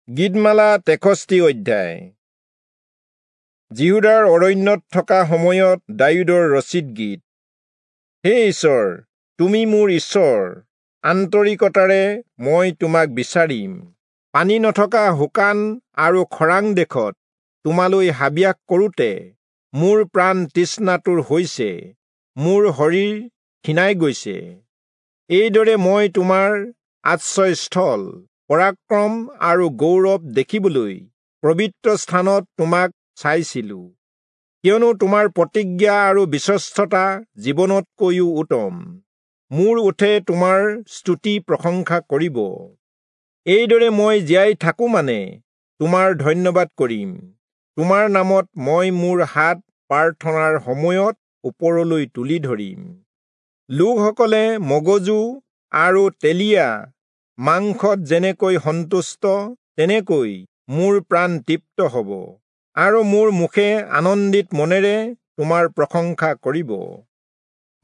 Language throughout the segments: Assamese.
গীতমালা 63 অধ্যায়। যিহূদাৰ অৰণ্যত থকা সময়ত দায়ূদৰ ৰচিত গীত। হে ঈশ্বৰ, তুমি মোৰ ঈশ্বৰ, আন্তৰিকতাৰে মই তোমাক বিচাৰিম। পানী নথকা শুকান আৰু খৰাং দেশত তোমালৈ হাবিয়াস কৰোঁতে মোৰ প্ৰাণ তৃষ্ণাতুৰ হৈছে, মোৰ শৰীৰ ক্ষীণাই গৈছে। এইদৰে মই তোমাৰ আশ্ৰয়স্থল, পৰাক্ৰম আৰু গৌৰৱ দেখিবলৈ পবিত্ৰ স্থানত তোমাক চাইছিলো। কিয়নো তোমাৰ প্ৰতিজ্ঞা আৰু বিশ্বস্ততা জীৱনতকৈও উত্তম। মোৰ ওঁঠে তোমাৰ স্তুতি প্ৰশংসা কৰিব। এইদৰে মই জীয়াই থাকো মানে তোমাৰ ধন্যবাদ কৰিম। তোমাৰ নামত মই মোৰ হাত প্ৰাৰ্থনাৰ সময়ত ওপৰলৈ তুলি ধৰিম। লোকসকলে মগজু আৰু তেলীয়া মাংসত যেনেকৈ সন্তুষ্ট, তেনেকৈ মোৰ প্ৰাণ তৃপ্ত হ'ব, আৰু মোৰ মুখে আনন্দিত মনেৰে তোমাৰ প্ৰশংসা কৰিব।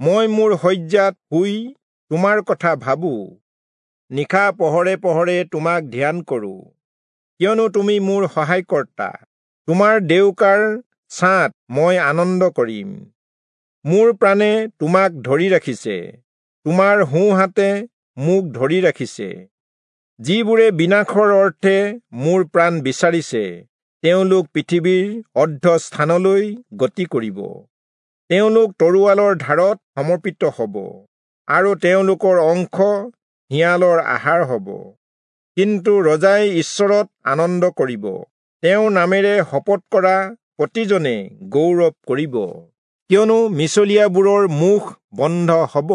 মই মোৰ শয্যাত শুই তোমাৰ কথা ভাবো, নিশা পহৰে পহৰে তোমাক ধ্যান কৰোঁ। কিয়নো তুমি মোৰ সহায়কৰ্তা, তোমাৰ ডেউকাৰ ছাঁত মই আনন্দ কৰিম। মোৰ প্ৰাণে তোমাক ধৰি ৰাখিছে, তোমাৰ সোঁহাতে মোক ধৰি ৰাখিছে। যিবোৰে বিনাশৰ অৰ্থে মোৰ প্ৰাণ বিচাৰিছে, তেওঁলোক পৃথিৱীৰ অৰ্ধস্থানলৈ গতি কৰিব। তেওঁলোক তৰোৱালৰ ধাৰত সমৰ্পিত হ'ব, আৰু তেওঁলোকৰ অংশ শিয়ালৰ আহাৰ হ'ব। কিন্তু ৰজাই ঈশ্বৰত আনন্দ কৰিব, তেওঁৰ নামেৰে শপত কৰা প্ৰতিজনে গৌৰৱ কৰিব। কিয়নো মিছলীয়াবোৰৰ মুখ বন্ধ হ'ব।